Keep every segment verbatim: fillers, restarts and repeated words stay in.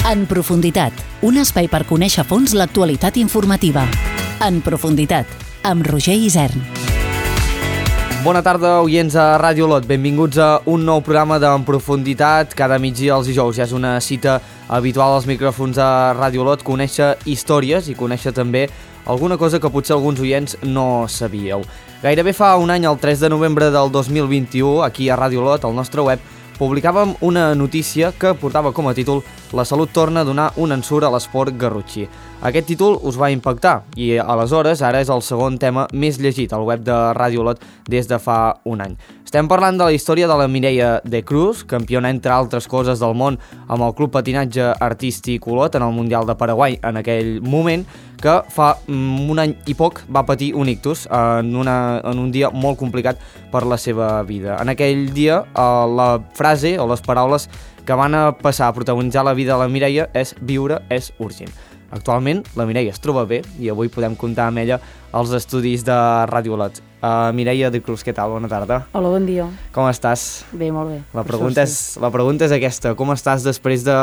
En profunditat, un espai per conèixer a fons l'actualitat informativa. En profunditat, amb Roger Isern. Bona tarda, oients a Ràdio Olot. Benvinguts a un nou programa d'En Profunditat. Cada migdia els dijous ja és una cita habitual als micròfons a Ràdio Olot, conèixer històries i conèixer també alguna cosa que potser alguns oients no sabíeu. Gairebé fa un any, el tres de novembre del dos mil vint-i-u, aquí a Ràdio Olot, al nostre web, publicàvem una notícia que portava com a títol «La salut torna a donar un ensurt a l'esport garrotxí». Aquest títol us va impactar i aleshores ara és el segon tema més llegit al web de Ràdio Olot des de fa un any. Estem parlant de la història de la Mireia de Cruz, campiona entre altres coses del món amb el Club Patinatge Artístic Olot en el Mundial de Paraguai en aquell moment, que fa un any i poc va patir un ictus en, una, en un dia molt complicat per la seva vida. En aquell dia la frase o les paraules que van a passar a protagonitzar la vida de la Mireia és «Viure és urgent». Actualment, la Mireia es troba bé i avui podem comptar amb ella als estudis de Ràdio Olot. Uh, Mireia de Cruz, què tal? Bona tarda. Hola, bon dia. Com estàs? Bé, molt bé. La pregunta, és, la pregunta és aquesta. Com estàs després de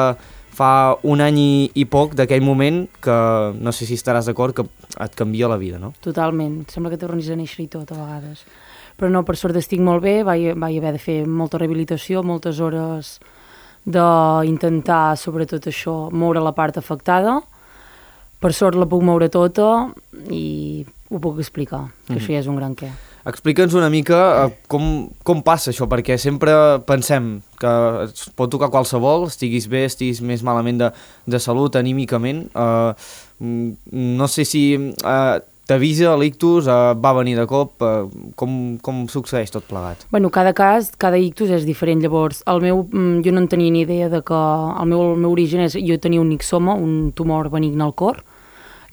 fa un any i, i poc d'aquell moment que no sé si estaràs d'acord que et canvia la vida, no? Totalment. Sembla que tornis a néixer i tot, a vegades. Però no, per sort estic molt bé. Vaig, vaig haver de fer molta rehabilitació, moltes hores d'intentar, sobretot això, moure la part afectada. Per sort la puc moure tota i ho puc explicar, que mm-hmm. això ja és un gran què. Explica'ns una mica uh, com, com passa això, perquè sempre pensem que es pot tocar qualsevol, estiguis bé, estiguis més malament de, de salut, anímicament. Uh, no sé si uh, t'avisa l'ictus, uh, va venir de cop, uh, com, com succeeix tot plegat? Bueno, cada cas, cada ictus és diferent. Llavors, el meu, jo no en tenia ni idea de que el meu, el meu origen és, jo tenia un nixoma, un tumor benigne al cor.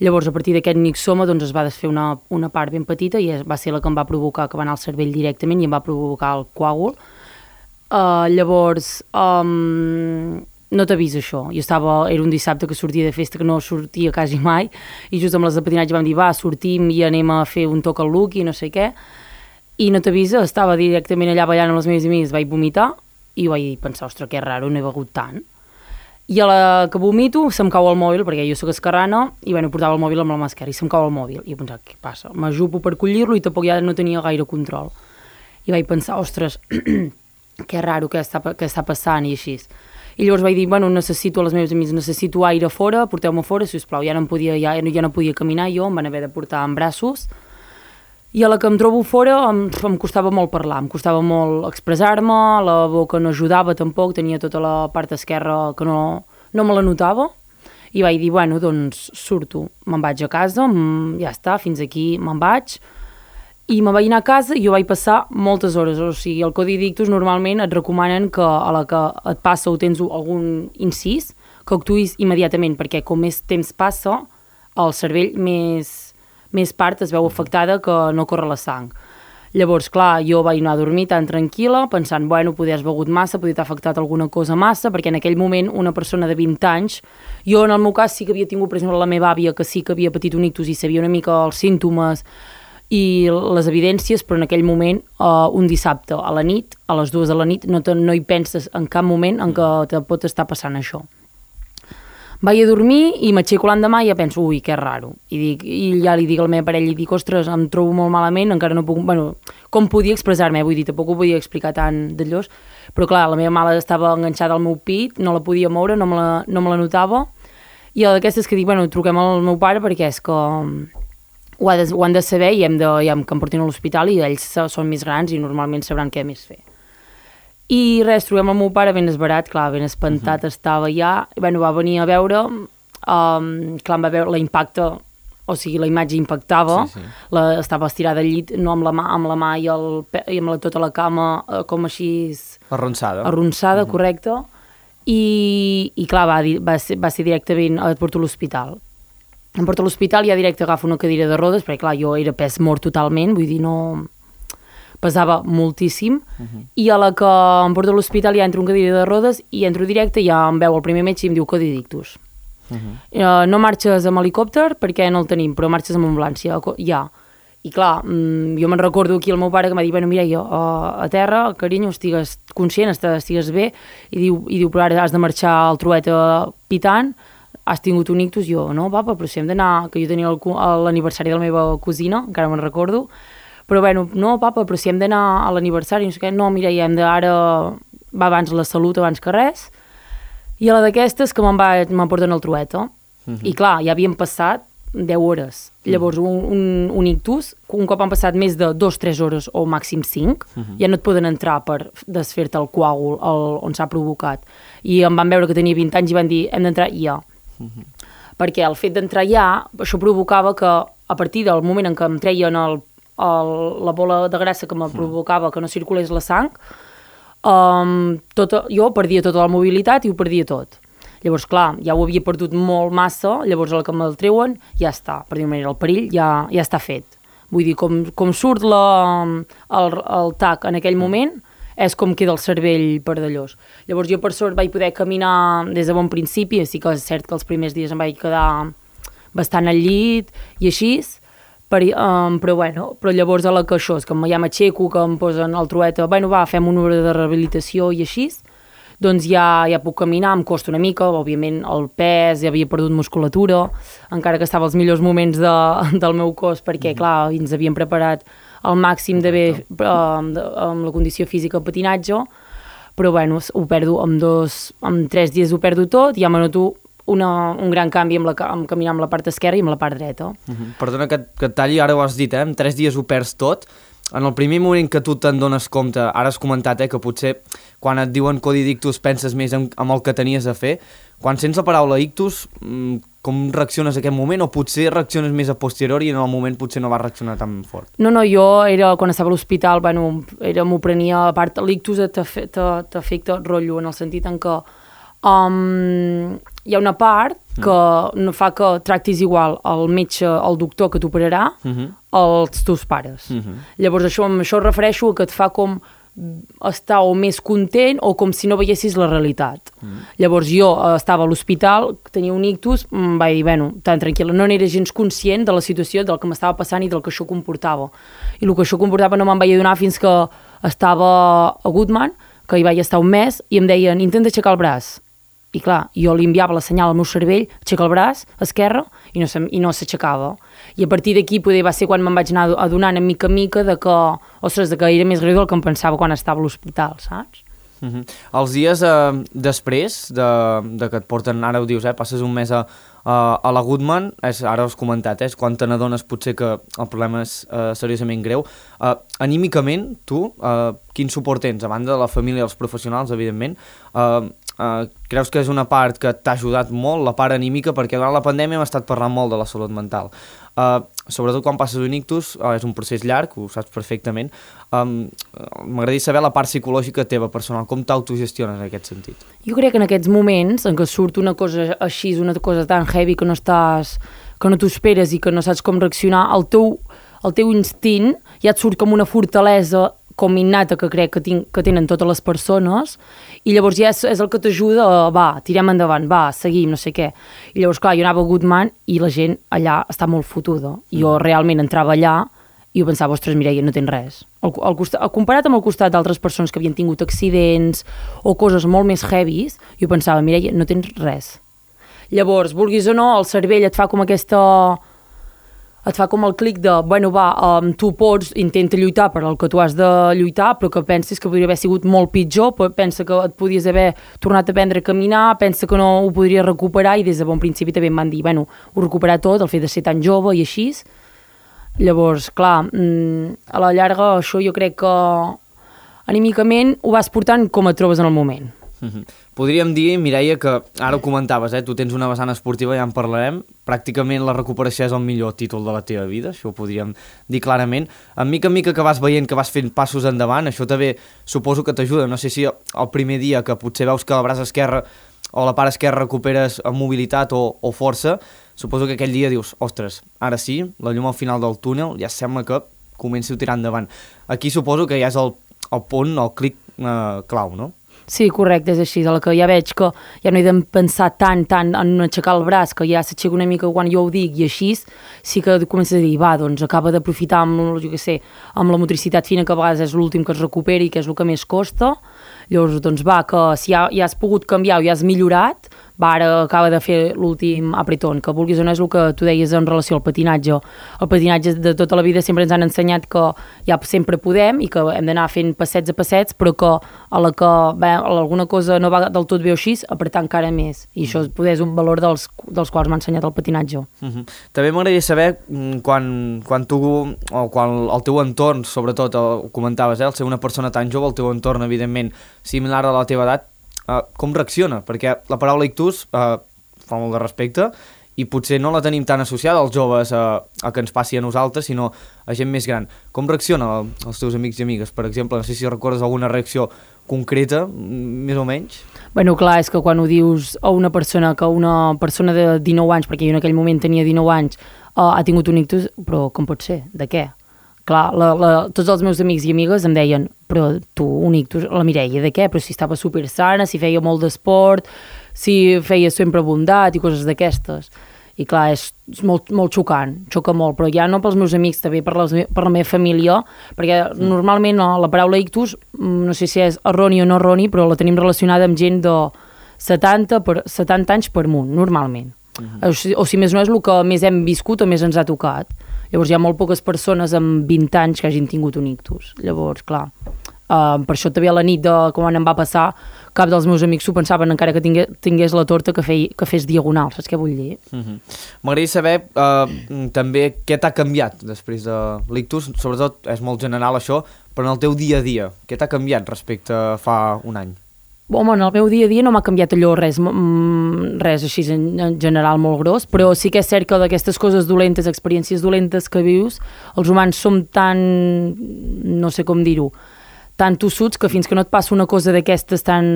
Llavors, a partir d'aquest nixoma, doncs, es va desfer una, una part ben petita i va ser la que em va provocar que va anar al cervell directament i em va provocar el coàgul. Uh, llavors, um, no t'avisa això. Jo estava, era un dissabte que sortia de festa, que no sortia quasi mai, i just amb les de patinatge vam dir, va, sortim i anem a fer un toc al look i no sé què. I no t'avisa, estava directament allà ballant amb les meves amics, vaig vomitar i vaig pensar, ostres, que raro, no he begut tant. I a la que vomito se'm cau el mòbil, perquè jo soc esquerrana, i bueno, portava el mòbil amb la mà esquerra, i se'm cau el mòbil. I he pensat, què passa? M'ajupo per collir-lo i tampoc ja no tenia gaire control. I vaig pensar, ostres, que raro, què està, què està passant, i així. I llavors vaig dir, bueno, necessito a les meves amics, necessito aire fora, porteu-me fora, sisplau. Ja no, em podia, ja, ja no podia caminar jo, em van haver de portar en braços. I a la que em trobo fora em, em costava molt parlar, em costava molt expressar-me, la boca no ajudava tampoc, tenia tota la part esquerra que no, no me la notava, i vaig dir, bueno, doncs surto, me'n vaig a casa, ja està, fins aquí me'n vaig, i me'n vaig anar a casa i jo vaig passar moltes hores, o sigui, el codi d'ictus normalment et recomanen que a la que et passa o tens algun incís, que actuïs immediatament, perquè com més temps passa, el cervell més... més part es veu afectada que no corre la sang. Llavors, clar, jo vaig anar a dormir tan tranquil·la, pensant, bueno, poder has begut massa, poder t'ha afectat alguna cosa massa, perquè en aquell moment una persona de vint anys, jo en el meu cas sí que havia tingut, per exemple, la meva àvia, que sí que havia patit un ictus i sabia una mica els símptomes i les evidències, però en aquell moment, uh, un dissabte a la nit, a les dues de la nit, no, te, no hi penses en cap moment en què te pot estar passant això. Vaig a dormir i m'aixeco l'endemà i ja penso, ui, que raro. I, dic, I ja li dic a la meva parella, i dic, ostres, em trobo molt malament, encara no puc... Bueno, com podia expressar-me, vull dir, tampoc ho podia explicar tan d'allòs, però clar, la meva mare estava enganxada al meu pit, no la podia moure, no me la, no me la notava, i d'aquestes que dic, bueno, truquem al meu pare perquè és que ho, ha de, ho han de saber i hem de, ja, que em portin a l'hospital i ells són més grans i normalment sabran què més fer. I res, trobem el meu pare ben esverat, clar, ben espantat uh-huh. estava ja, i bueno, va venir a veure, um, clar, em va veure l'impacte, o sigui, la imatge impactava, sí, sí. La, estava estirada al llit, no amb la mà, amb la mà i, el, i amb la, tota la cama, eh, com així... Arronsada. Arronsada, uh-huh. correcte, i, i clar, va, va, ser, va ser directament, et porto a l'hospital. Em porto a l'hospital i ja directe agafo una cadira de rodes, perquè clar, jo era pes mort totalment, vull dir, no... pesava moltíssim, uh-huh. i a la que em porto a l'hospital ja entro en cadira de rodes i entro directe i ja em veu el primer metge i em diu codi d'ictus. Uh-huh. Uh, no marxes amb helicòpter perquè no el tenim, però marxes amb ambulància, ja. I clar, jo me'n recordo aquí el meu pare que m'ha dit, bueno, Mireia, a terra, carinyo, estigues conscient, estigues bé, i diu, i diu, però ara has de marxar al trueta pitant, has tingut un ictus? Jo, no, papa, però si hem d'anar, que jo tenia l'aniversari de la meva cosina, encara me'n recordo, però bueno, no, papa, però si hem d'anar a l'aniversari, no sé què, no, Mireia, hem d'ara, va abans la salut, abans que res, i a la d'aquestes que me'n me'n porten al trueta, uh-huh. I clar, ja havien passat deu hores. Llavors, un, un, un ictus, un cop han passat més de dos tres hores o màxim cinc, uh-huh. Ja no et poden entrar per desfer-te el coàgul el, on s'ha provocat. I em van veure que tenia vint anys i van dir, hem d'entrar ja. Uh-huh. Perquè el fet d'entrar ja, això provocava que a partir del moment en què em treien el, el, la bola de grassa que me uh-huh. provocava que no circulés la sang, um, tota, jo perdia tota la mobilitat i ho perdia tot. Llavors, clar, ja ho havia perdut molt massa, llavors a la que me'l treuen, ja està, per dir-ho manera, el perill ja, ja està fet. Vull dir, com, com surt la, el, el tac en aquell moment, és com queda el cervell per d'allòs. Llavors jo per sort vaig poder caminar des de bon principi, sí que és cert que els primers dies em vaig quedar bastant al llit i així, per, um, però bueno, però llavors a la que això, és que ja m'aixeco, que em posen al trueta, bueno va, fem una hora de rehabilitació i així, doncs ja, ja puc caminar, em costa una mica, òbviament el pes, ja havia perdut musculatura, encara que estava als millors moments de, del meu cos, perquè, clar, ens havíem preparat al màxim de bé eh, amb la condició física de patinatge, però, bueno, ho perdo en dos, en tres dies ho perdo tot, i ja me noto una, un gran canvi amb, la, amb caminar amb la part esquerra i amb la part dreta. Uh-huh. Perdona que, que et talli, ara ho has dit, eh? En tres dies ho perds tot. En el primer moment que tu te'n dones compte, ara has comentat eh, que potser quan et diuen codi d'ictus penses més en, en el que tenies a fer, quan sents la paraula ictus, com reacciones en aquest moment, o potser reacciones més a posteriori i en el moment potser no vas reaccionar tan fort? No, no, jo era, quan estava a l'hospital, bueno, era, m'ho prenia, a part, l'ictus t'afecta rotllo, en el sentit en què um, hi ha una part que no fa que tractis igual el metge, el doctor que t'operarà, uh-huh. els teus pares. Uh-huh. Llavors això, amb això refereixo a que et fa com estar o més content o com si no veiessis la realitat. Uh-huh. Llavors jo estava a l'hospital, tenia un ictus, em vaig dir, bueno, tan tranquil·la, no n'era gens conscient de la situació, del que m'estava passant i del que això comportava. I el que això comportava no me'n vaig adonar fins que estava a Goodman, que hi vaig estar un mes, i em deien, intenta aixecar el braç. I clar, jo li enviava la senyal al meu cervell, aixeca el braç esquerre, i no, i no s'aixecava. I a partir d'aquí poder va ser quan me'n vaig anar adonant a mica a mica de que, ostres, de que era més greu del que em pensava quan estava a l'hospital, saps? Uh-huh. Els dies eh, després de, de que et porten, ara ho dius, eh, passes un mes a, a, a la Goodman, és, ara has comentat, eh, és quan te n'adones potser que el problema és eh, seriosament greu. Eh, anímicament, tu, eh, quin suport tens? A banda de la família i els professionals, evidentment, eh, Uh, creus que és una part que t'ha ajudat molt, la part anímica, perquè durant la pandèmia hem estat parlant molt de la salut mental. Uh, sobretot quan passes un ictus, uh, és un procés llarg, ho saps perfectament. Um, M'agradaria saber la part psicològica teva personal, com t'autogestiones en aquest sentit? Jo crec que en aquests moments en què surt una cosa així, una cosa tan heavy que no estàs, que no t'ho esperes i que no saps com reaccionar, el teu, el teu instint ja et surt com una fortalesa com innata que crec que, tinc, que tenen totes les persones, i llavors ja és, és el que t'ajuda a, va, tirem endavant, va, seguim, no sé què. I llavors, clar, jo anava a Goodman i la gent allà està molt fotuda. I jo realment entrava allà i jo pensava, ostres, Mireia, no tens res. Al, al costat, comparat amb el costat d'altres persones que havien tingut accidents o coses molt més heavies, jo pensava, Mireia, no tens res. Llavors, vulguis o no, el cervell et fa com aquesta... et fa com el clic de, bueno, va, um, tu pots, intenta lluitar per el que tu has de lluitar, però que pensis que podria haver sigut molt pitjor, pensa que et podies haver tornat a aprendre a caminar, pensa que no ho podries recuperar, i des de bon principi també em van dir, bueno, ho recuperar tot, el fet de ser tan jove i així. Llavors, clar, a la llarga això jo crec que anímicament ho vas portant com et trobes en el moment. Uh-huh. Podríem dir, Mireia, que ara ho comentaves, eh? Tu tens una vessant esportiva, ja en parlarem, pràcticament la recuperació és el millor títol de la teva vida, això ho podríem dir clarament. En mica en mica que vas veient que vas fent passos endavant, això també suposo que t'ajuda. No sé si el primer dia que potser veus que el braç esquerre o la part esquerra recuperes mobilitat o, o força, suposo que aquell dia dius, ostres, ara sí, la llum al final del túnel ja sembla que comenci a tirar endavant. Aquí suposo que ja és el, el punt, el clic eh, clau, no? Sí, correcte, és així, de la que ja veig que ja no he de pensar tant, tant en aixecar el braç, que ja s'aixeca una mica quan jo ho dic i així, sí que comences a dir, va, doncs acaba d'aprofitar amb, jo què sé, amb la motricitat fina, que a vegades és l'últim que es recuperi, que és el que més costa, llavors, doncs va, que si ja, ja has pogut canviar o ja has millorat, va, ara acaba de fer l'últim apretón, que vulguis o no és el que tu deies en relació al patinatge. El patinatge de tota la vida sempre ens han ensenyat que ja sempre podem i que hem d'anar fent passets a passets, però que a la que bé, alguna cosa no va del tot bé o així, apretar encara més. I això poder és un valor dels, dels quals m'ha ensenyat el patinatge. Uh-huh. També m'agradaria saber quan, quan tu, o quan el teu entorn, sobretot, ho comentaves, eh, el ser una persona tan jove, el teu entorn, evidentment, similar a la teva edat, Uh, com reacciona? Perquè la paraula ictus uh, fa molt de respecte i potser no la tenim tan associada als joves a, a que ens passi a nosaltres, sinó a gent més gran. Com reacciona els teus amics i amigues, per exemple? No sé si recordes alguna reacció concreta, més o menys? Bueno, clar, és que quan ho dius a una persona, que una persona de dinou anys, perquè jo en aquell moment tenia dinou anys, uh, ha tingut un ictus, però com pot ser? De què? Clar, la, la, tots els meus amics i amigues em deien, però tu, un ictus, la Mireia, de què? Però si estava super sana, si feia molt d'esport, si feia sempre bondat i coses d'aquestes. I clar, és molt, molt xocant, xoca molt, però ja no pels meus amics, també per, les, per la meva família, perquè mm. normalment no, la paraula ictus, no sé si és erroni o no erroni, però la tenim relacionada amb gent de setanta, per, setanta anys per amunt, normalment. Mm-hmm. O, si, o si més no és el que més hem viscut o més ens ha tocat. Llavors hi ha molt poques persones amb vint anys que hagin tingut un ictus. Llavors, clar, uh, per això també a la nit de quan em va passar, cap dels meus amics s'ho pensaven encara que tingués, tingués la torta que, fei, que fes diagonal, saps què vull dir? Uh-huh. M'agradaria saber uh, també què t'ha canviat després de l'ictus, sobretot és molt general això, però en el teu dia a dia, què t'ha canviat respecte a fa un any? Home, en el meu dia a dia no m'ha canviat allò res, res així en, en general molt gros, però sí que és cert que d'aquestes coses dolentes, experiències dolentes que vius, els humans som tan, no sé com dir-ho, tan tossuts que fins que no et passa una cosa d'aquestes tan,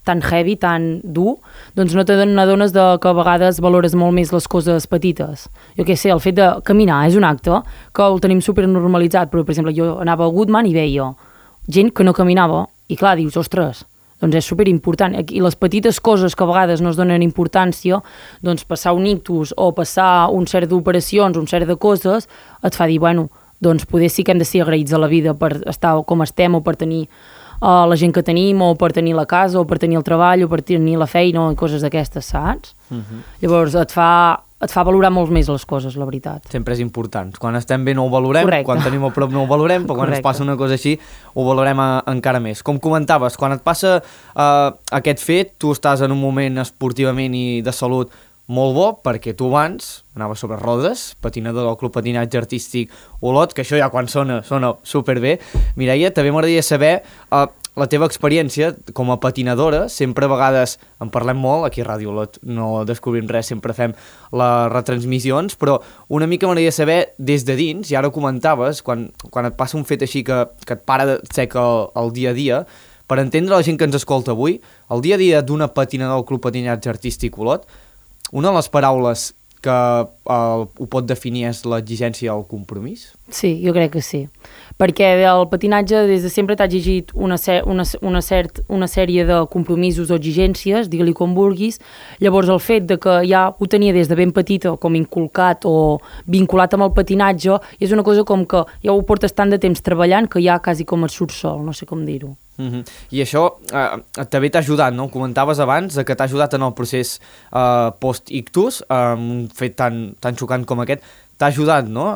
tan heavy, tan dur, doncs no t'adones de que a vegades valores molt més les coses petites. Jo què sé, el fet de caminar és un acte que el tenim supernormalitzat, però per exemple jo anava a Goodman i veia gent que no caminava i clar, dius, ostres, doncs és superimportant. I les petites coses que a vegades no es donen importància, doncs passar un ictus o passar un cert d'operacions, un cert de coses, et fa dir, bueno, doncs poder sí que hem de ser agraïts a la vida per estar com estem o per tenir uh, la gent que tenim o per tenir la casa o per tenir el treball o per tenir la feina o coses d'aquestes, saps? Uh-huh. Llavors et fa... et fa valorar molt més les coses, la veritat. Sempre és important. Quan estem bé no ho valorem, correcte. Quan tenim a prop no ho valorem, però quan correcte. Ens passa una cosa així ho valorem a, encara més. Com comentaves, quan et passa uh, aquest fet, tu estàs en un moment esportivament i de salut molt bo, perquè tu abans anaves sobre rodes, patinador del Club Patinatge Artístic Olot, que això ja quan sona, sona superbé. Mireia, també m'agradaria saber uh, la teva experiència com a patinadora. Sempre a vegades en parlem molt, aquí a Ràdio Olot no descobrim res, sempre fem les retransmissions, però una mica m'agradaria saber des de dins, i ara ho comentaves, quan, quan et passa un fet així que, que et para de seca el, el dia a dia, per entendre la gent que ens escolta avui, el dia a dia d'una patinadora del Club Patinatge Artístic Olot, una de les paraules que eh, ho pot definir és l'exigència al compromís? Sí, jo crec que sí. Perquè el patinatge des de sempre t'ha exigit una, una, una, cert, una sèrie de compromisos o exigències, digue-li com vulguis. Llavors el fet de que ja ho tenia des de ben petita com inculcat o vinculat amb el patinatge és una cosa com que ja ho portes tant de temps treballant que ja quasi com et surt sol, no sé com dir-ho. Uh-huh. I això eh, també t'ha ajudat, no? Comentaves abans que t'ha ajudat en el procés eh, post-ictus, eh, un fet tan, tan xocant com aquest, t'ha ajudat, no?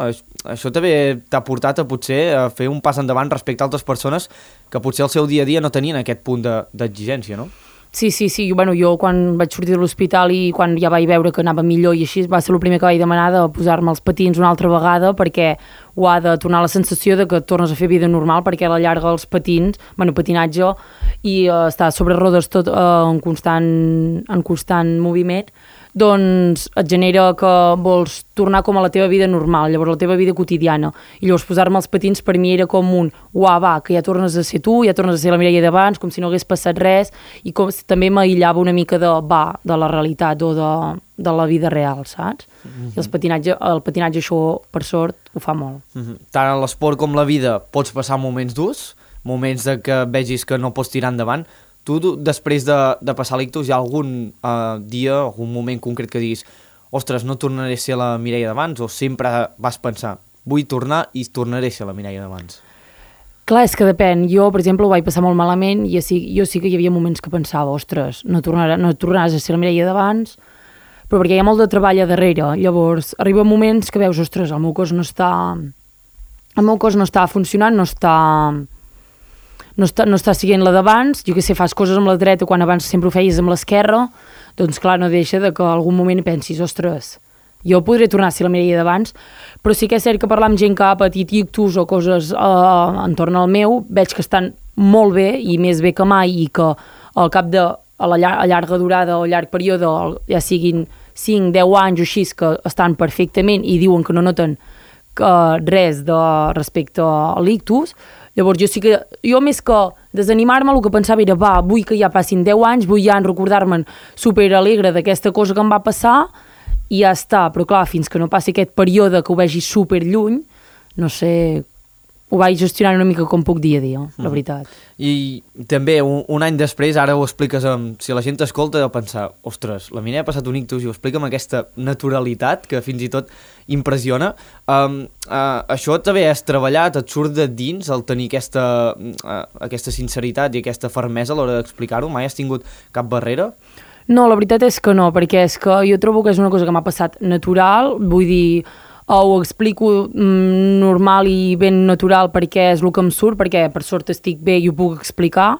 Això també t'ha portat a potser a fer un pas endavant respecte a altres persones que potser al seu dia a dia no tenien aquest punt d'exigència, no? Sí, sí, sí. Bueno, jo quan vaig sortir de l'hospital i quan ja vaig veure que anava millor i així, va ser el primer que vaig demanar de posar-me els patins una altra vegada perquè ho ha de tornar la sensació de que tornes a fer vida normal, perquè a la llarga els patins, bueno, patinatge i uh, estar sobre rodes tot uh, en, constant, en constant moviment, doncs et genera que vols tornar com a la teva vida normal, llavors la teva vida quotidiana. I llavors posar-me els patins per mi era com un uah, va, que ja tornes a ser tu, ja tornes a ser la Mireia d'abans, com si no hagués passat res, i com si també m'aïllava una mica de, va, de la realitat o de, de la vida real, saps? Mm-hmm. I els patinatge, el patinatge això, per sort, ho fa molt. Mm-hmm. Tant en l'esport com la vida pots passar moments durs, moments de que vegis que no pots tirar endavant, Tu, després de, de passar l'ictus, hi ha algun uh, dia, algun moment concret que diguis ostres, no tornaré a ser la Mireia d'abans, o sempre vas pensar vull tornar i tornaré a ser la Mireia d'abans? Clar, és que depèn. Jo, per exemple, ho vaig passar molt malament i sí, jo sí que hi havia moments que pensava, ostres, no, tornarà, no tornaràs a ser la Mireia d'abans, però perquè hi ha molt de treball a darrere. Llavors, arriba moments que veus, ostres, el meu cos no està... El meu cos no està funcionant, no està... No està, no està siguent la d'abans. Jo que sé, fas coses amb la dreta quan abans sempre ho feies amb l'esquerra, doncs clar, no deixa de que algun moment pensis, ostres, jo podré tornar a ser la Mireia d'abans, però sí que és cert que parlar amb gent que ha patit ictus o coses eh, entorn al meu, veig que estan molt bé i més bé que mai i que al cap de a la llar a llarga durada o llarg període, ja siguin cinc, deu anys o així, que estan perfectament i diuen que no noten que res de respecte a l'ictus. Llavors jo sí que, jo més que desanimar-me, el que pensava era, va, vull que ja passin deu anys, vull ja recordar-me'n superalegre d'aquesta cosa que em va passar i ja està, però clar, fins que no passi aquest període que ho vegi super lluny, no sé, ho vaig gestionar una mica com puc dia a dia, la veritat. I també, un, un any després, ara ho expliques amb... Si la gent t'escolta, deu pensar, ostres, la Mireia ha passat un ictus i ho explica amb aquesta naturalitat que fins i tot impressiona. Um, uh, això també has treballat, et surt de dins el tenir aquesta, uh, aquesta sinceritat i aquesta fermesa a l'hora d'explicar-ho? Mai has tingut cap barrera? No, la veritat és que no, perquè és que jo trobo que és una cosa que m'ha passat natural, vull dir... o ho explico mm, normal i ben natural perquè és el que em surt, perquè per sort estic bé i ho puc explicar.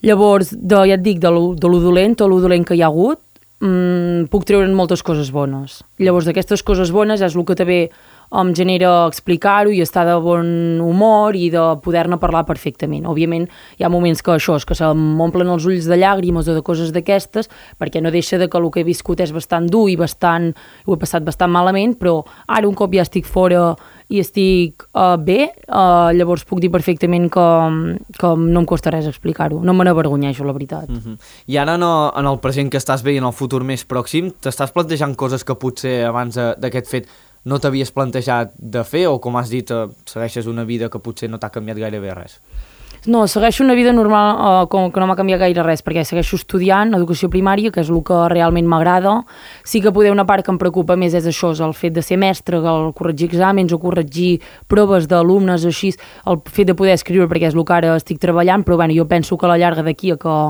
Llavors, de, ja et dic, de lo, de lo dolent o lo dolent que hi ha hagut, mm, puc treure'n moltes coses bones. Llavors, d'aquestes coses bones és el que també em genera explicar-ho i estar de bon humor i de poder-ne parlar perfectament. Òbviament, hi ha moments que això és que se m'omplen els ulls de llàgrimes o de coses d'aquestes, perquè no deixa de que el que he viscut és bastant dur i bastant, ho he passat bastant malament, però ara un cop ja estic fora i estic uh, bé, uh, llavors puc dir perfectament que, que no em costa res explicar-ho. No me n'avergonyeixo, la veritat. Uh-huh. I ara no, en el present que estàs bé i en el futur més pròxim, t'estàs plantejant coses que potser abans d'aquest fet no t'havies plantejat de fer, o com has dit, segueixes una vida que potser no t'ha canviat gairebé res? No, segueixo una vida normal uh, com que no m'ha canviat gaire res, perquè segueixo estudiant educació primària, que és el que realment m'agrada. Sí que poder una part que em preocupa més és això, és el fet de ser mestre, el corregir exàmens o corregir proves d'alumnes o així, el fet de poder escriure, perquè és el que ara estic treballant, però bueno, jo penso que a la llarga d'aquí a que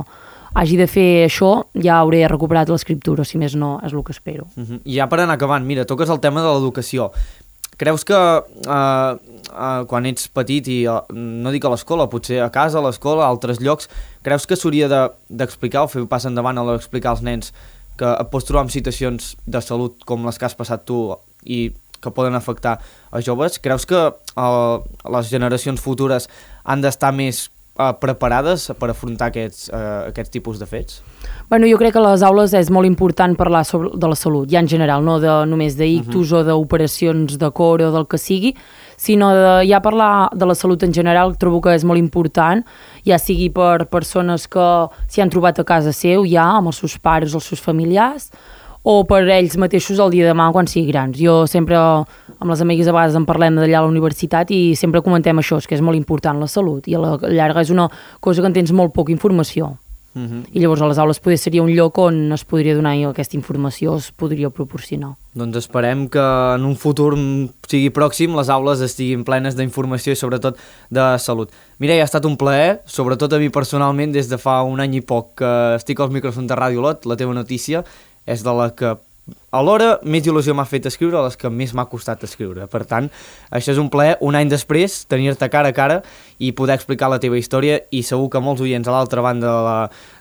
hagi de fer això, ja hauré recuperat l'escriptura, si més no, és el que espero. Uh-huh. I ja per anar acabant, mira, toques el tema de l'educació. Creus que uh, uh, quan ets petit i, uh, no dic a l'escola, potser a casa, a l'escola, a altres llocs, creus que s'hauria de, d'explicar o fer un pas endavant a l'hora d'explicar als nens que et pots trobar en situacions de salut com les que has passat tu i que poden afectar a joves? Creus que uh, les generacions futures han d'estar més Uh, preparades per afrontar aquests, uh, aquests tipus de fets? Bueno, jo crec que a les aules és molt important parlar sobre, de la salut, ja en general, no de, només d'ictus uh-huh. o d'operacions de cor o del que sigui, sinó de ja parlar de la salut en general, trobo que és molt important, ja sigui per persones que s'hi han trobat a casa seu, ja, amb els seus pares o els seus familiars, o per ells mateixos el dia de demà quan siguin grans. Jo sempre, amb les amigues a vegades en parlem d'allà a la universitat i sempre comentem això, és que és molt important la salut i a la llarga és una cosa que en tens molt poca informació. Uh-huh. I llavors a les aules poder seria un lloc on es podria donar aquesta informació, es podria proporcionar. Doncs esperem que en un futur sigui pròxim les aules estiguin plenes d'informació i sobretot de salut. Mireia, ha estat un plaer, sobretot a mi personalment des de fa un any i poc que estic als micròfons de Ràdio Olot, la teva notícia és de la que alhora més il·lusió m'ha fet escriure, les que més m'ha costat escriure. Per tant, això és un plaer, un any després, tenir-te cara a cara i poder explicar la teva història, i segur que molts oients a l'altra banda de la,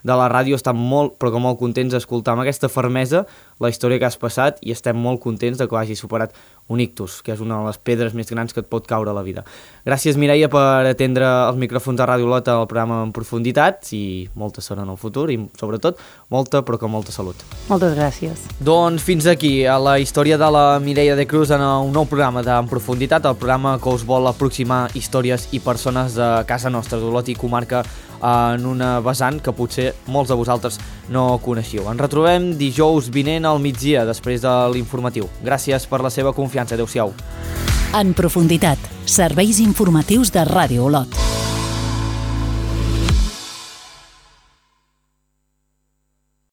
de la ràdio estan molt, però que molt contents d'escoltar amb aquesta fermesa la història que has passat, i estem molt contents de que hagis superat un ictus, que és una de les pedres més grans que et pot caure a la vida. Gràcies, Mireia, per atendre els micròfons de Ràdio Olot al programa En Profunditat, i molta sort en el futur, i sobretot molta, però que molta salut. Moltes gràcies. Doncs fins aquí a la història de la Mireia de Cruz en un nou programa d'En Profunditat, el programa que us vol aproximar històries i persones de casa nostra, d'Olot i comarca, en una vessant que potser molts de vosaltres no coneixeu. Ens retrobem dijous vinent al migdia, després de l'informatiu. Gràcies per la seva confiança. Adéu-siau. En Profunditat, serveis informatius de Ràdio Olot.